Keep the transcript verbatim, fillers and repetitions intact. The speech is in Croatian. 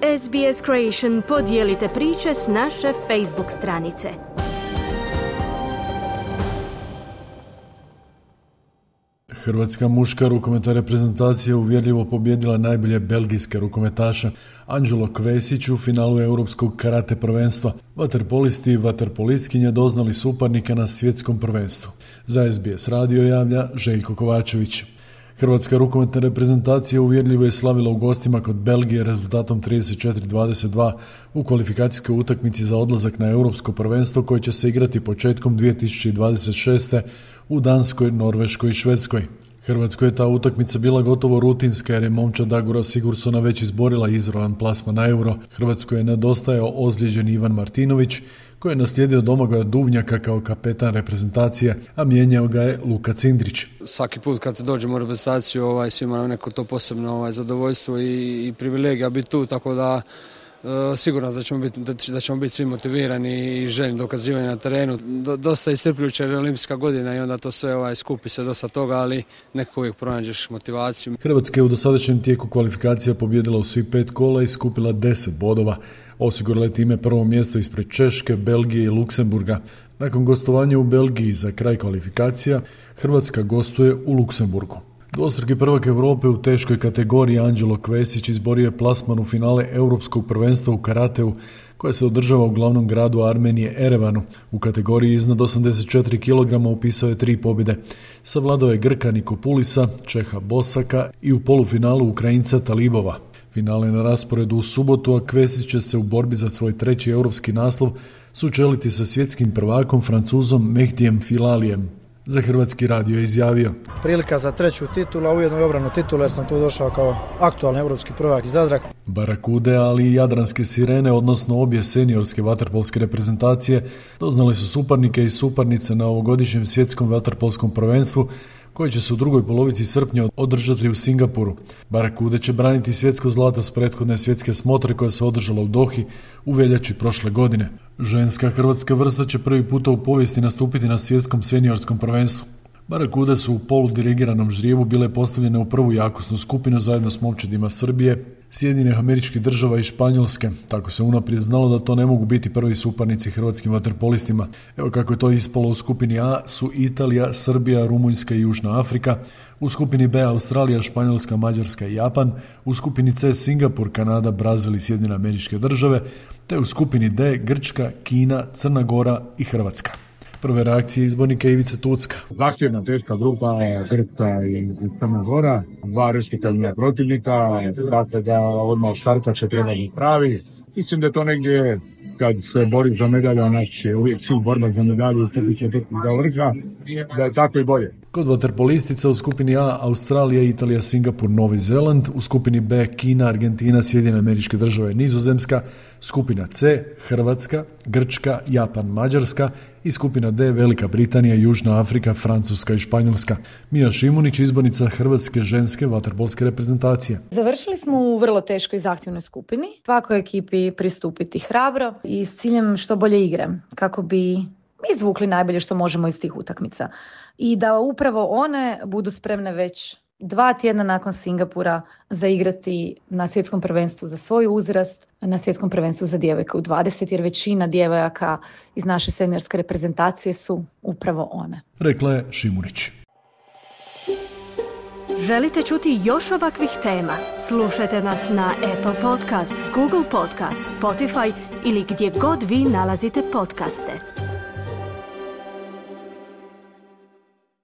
S B S Creation podijelite priče s naše Facebook stranice. Hrvatska muška rukometna reprezentacija uvjerljivo pobijedila najbolje belgijske rukometaše Anđelo Kvesić u finalu Europskog karate prvenstva. Vaterpolisti i vaterpolistkinje doznali suparnika na svjetskom prvenstvu. Za S B S radio javlja Željko Kovačević. Hrvatska rukometna reprezentacija uvjerljivo je slavila u gostima kod Belgije rezultatom trideset četiri dvadeset dva u kvalifikacijskoj utakmici za odlazak na Europsko prvenstvo koje će se igrati početkom dvije tisuće dvadeset šeste. u Danskoj, Norveškoj i Švedskoj. Hrvatskoj je ta utakmica bila gotovo rutinska jer je momčad Dagora Sigursona već izborila izravan plasman na Euro. Hrvatskoj je nedostajao ozlijeđeni Ivan Martinović koji je naslijedio Domagoja Duvnjaka kao kapetan reprezentacije, a mijenjao ga je Luka Cindrić. Svaki put kad dođemo u reprezentaciju ovaj, svima nam neko to posebno ovaj, zadovoljstvo i, i privilegija biti tu, tako da Uh, sigurno da ćemo biti, da, da ćemo biti svi motivirani i željni dokazivanja na terenu. Do, dosta iscrpljujuća je olimpijska godina i onda to sve ovaj, skupi se dosta toga, ali nekako uvijek pronađeš motivaciju. Hrvatska je u dosadašnjem tijeku kvalifikacija pobijedila u svih pet kola i skupila deset bodova. Osigurala je time prvo mjesto ispred Češke, Belgije i Luksemburga. Nakon gostovanja u Belgiji za kraj kvalifikacija, Hrvatska gostuje u Luksemburgu. Dvostruki prvak Europe u teškoj kategoriji Anđelo Kvesić izborio je plasman u finale Europskog prvenstva u karateu koje se održava u glavnom gradu Armenije Erevanu. U kategoriji iznad osamdeset četiri kilograma upisao je tri pobjede. Savladao je Grka Nikopulisa, Čeha Bosaka i u polufinalu Ukrajinca Talibova. Finale na rasporedu u subotu, a Kvesić će se u borbi za svoj treći europski naslov sučeliti sa svjetskim prvakom Francuzom Mehdijem Filalijem. Za Hrvatski radio je izjavio: Prilika za treću titulu, a ujedno i obranu titula jer sam tu došao kao aktualni europski prvak iz Zadra. Barakude, ali i Jadranske sirene, odnosno obje seniorske vaterpolske reprezentacije, doznali su suparnike i suparnice na ovogodišnjem svjetskom vaterpolskom prvenstvu koji će se u drugoj polovici srpnja održati u Singapuru. Barakude će braniti svjetsko zlato s prethodne svjetske smotre koja se održala u Dohi u veljači prošle godine. Ženska hrvatska vrsta će prvi puta u povijesti nastupiti na svjetskom seniorskom prvenstvu. Barakude su u poludirigiranom ždrijevu bile postavljene u prvu jakosnu skupinu zajedno s momčadima Srbije, Sjedinjenih Američkih Država i Španjolske. Tako se unaprijed znalo da to ne mogu biti prvi suparnici hrvatskim vaterpolistima. Evo kako je to ispalo: u skupini A su Italija, Srbija, Rumunjska i Južna Afrika, u skupini B Australija, Španjolska, Mađarska i Japan, u skupini C Singapur, Kanada, Brazil i Sjedinjene Američke Države, te u skupini D Grčka, Kina, Crna Gora i Hrvatska. Prve reakcije izbornika Ivice Tucka. Zahtjevna teška grupa Grčka i Crna Gora, dva respektabilna protivnika, dakle da odmah od starta će trebati pravi. Mislim da to negdje kad se bori za medalju, a naš je uvijek cilj borba za medalju i tebi će biti za vrha, da je tako i bolje. Kod vaterpolistica u skupini A Australija, Italija, Singapur, Novi Zeland, u skupini B Kina, Argentina, Sjedinjene Američke Države i Nizozemska, skupina C Hrvatska, Grčka, Japan, Mađarska i skupina D Velika Britanija, Južna Afrika, Francuska i Španjolska. Mija Šimunić, izbornica hrvatske ženske vaterpolske reprezentacije. Završili smo u vrlo teškoj i zahtjevnoj skupini. Svakoj ekipi pristupiti hrabro i s ciljem što bolje igre, kako bi izvukli najbolje što možemo iz tih utakmica. I da upravo one budu spremne već dva tjedna nakon Singapura zaigrati na svjetskom prvenstvu za svoj uzrast, na svjetskom prvenstvu za djevojke u dvadeset, jer većina djevojaka iz naše seniorske reprezentacije su upravo one. Rekla je Šimunić. Želite čuti još ovakvih tema? Slušajte nas na Apple Podcast, Google Podcast, Spotify ili gdje god vi nalazite podcaste.